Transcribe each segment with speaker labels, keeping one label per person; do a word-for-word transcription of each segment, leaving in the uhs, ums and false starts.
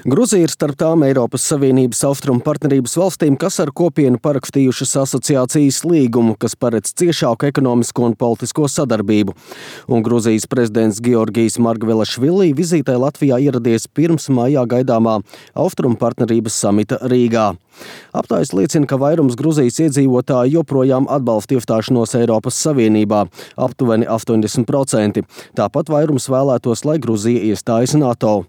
Speaker 1: Gruzija ir starp tām Eiropas Savienības austrumu partnerības valstīm, kas ar kopienu parakstījušas asociācijas līgumu, kas paredz ciešāku ekonomisko un politisko sadarbību. Un Gruzijas prezidents Georgijs Margvelašvili vizītē Latvijā ieradies pirms maijā gaidāmā austrumu partnerības samita Rīgā. Aptājas liecina, ka vairums Gruzijas iedzīvotāji joprojām atbalsta iestāšanos Eiropas Savienībā, aptuveni astoņdesmit procenti. Tāpat vairums vēlētos, lai Gruzija iestājas NATO.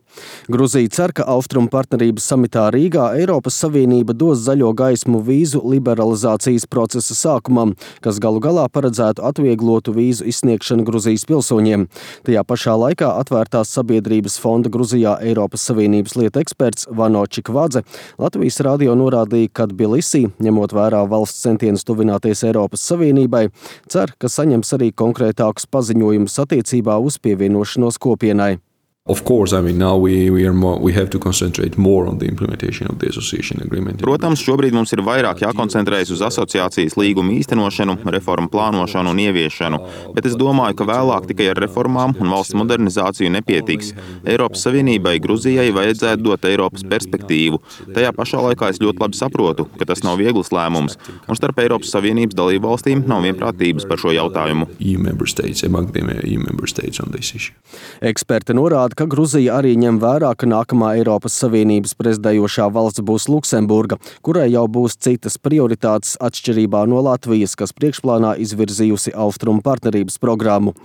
Speaker 1: Gruzija cer, ka austrumu partnerības samitā Rīgā Eiropas Savienība dos zaļo gaismu vīzu liberalizācijas procesa sākumam, kas galu galā paredzētu atvieglotu vīzu izsniegšanu Gruzijas pilsoņiem. Tajā pašā laikā atvērtās sabiedrības fonda Gruzijā Eiropas Savienības lietu eksperts Vano Čikvadze Latvijas radio norādīja, ka Tbilisī, ņemot vērā valsts centienus tuvināties Eiropas Savienībai, cer, ka saņems arī konkrētākus paziņojumus attiecībā uz pievienošanos kopienai.
Speaker 2: Of course, I mean, now we, we, are more, we have to concentrate more on the implementation of the association agreement.
Speaker 3: Protams, šobrīd mums ir vairāk jākoncentrējas uz asociācijas līgumu īstenošanu, reformu plānošanu un ieviešanu, bet es domāju, ka vēlāk tikai ar reformām un valsts modernizāciju nepietiks. Eiropas Savienībai Gruzijai vajadzētu dot Eiropas perspektīvu. Tajā pašā laikā es ļoti labi saprotu, ka tas nav viegls lēmums, un starp Eiropas Savienības dalību valstīm nav vienprātības par šo jautājumu.
Speaker 2: E U member states, among them E U member states on this issue.
Speaker 1: Eksperti norāda, ka Gruzija arī ņem vērā, ka nākamā Eiropas Savienības prezidējošā valsts būs Luksemburga, kurai jau būs citas prioritātes atšķirībā no Latvijas, kas priekšplānā izvirzījusi austrumu partnerības programmu.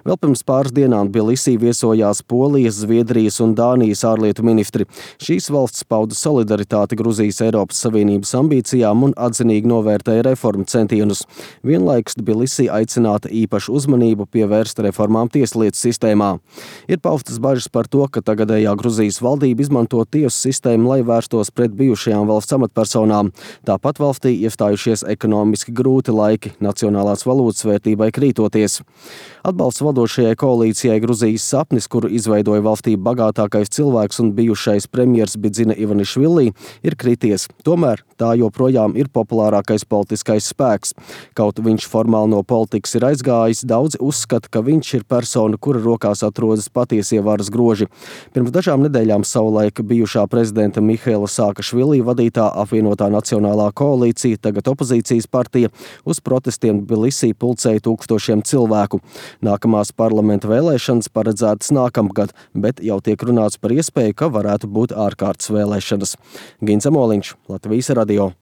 Speaker 1: Vēl pirms pāris dienām Tbilisī viesojās Polijas, Zviedrijas un Dānijas ārlietu ministri. Šīs valsts pauda solidaritāti Gruzijas Eiropas Savienības ambīcijām un atzinīgi novērtēja reformu centienus. Vienlaikus Tbilisī aicināta īpašu uzmanību pievērst reformām tieslietu sistēmā. Ir paustas bažas par to, ka tagadējā Gruzijas valdība izmanto tiesu sistēmu, lai vērstos pret bijušajām valsts amatpersonām. Tāpat valstī iestājušies ekonomiski grūti laiki, nacionālās valūtas vērtībai krītoties. Atbalsts vadošajai koalīcijai Gruzijas sapnis, kuru izveidoja valstī bagātākais cilvēks un bijušais premjers Bidzina Ivanišvili, ir krities. Tomēr tā joprojām ir populārākais politiskais spēks. Kaut viņš formāli no politikas ir aizgājis, daudzi uzskata, ka viņš ir persona, kura rokās atrodas patiesie varas groži. Pirms dažām nedēļām savulaik bijušā prezidenta Mihaila Saakašvili vadītā apvienotā nacionālā koalīcija, tagad opozīcijas partija, uz protestiem Tbilisī pulcēja tūkstošiem cilvēku. Nākamās parlamenta vēlēšanas paredzētas nākamgad, bet jau tiek runāts par iespēju, ka varētu būt ārkārtas vēlēšanas. Gins Amoliņš, Latvijas radio.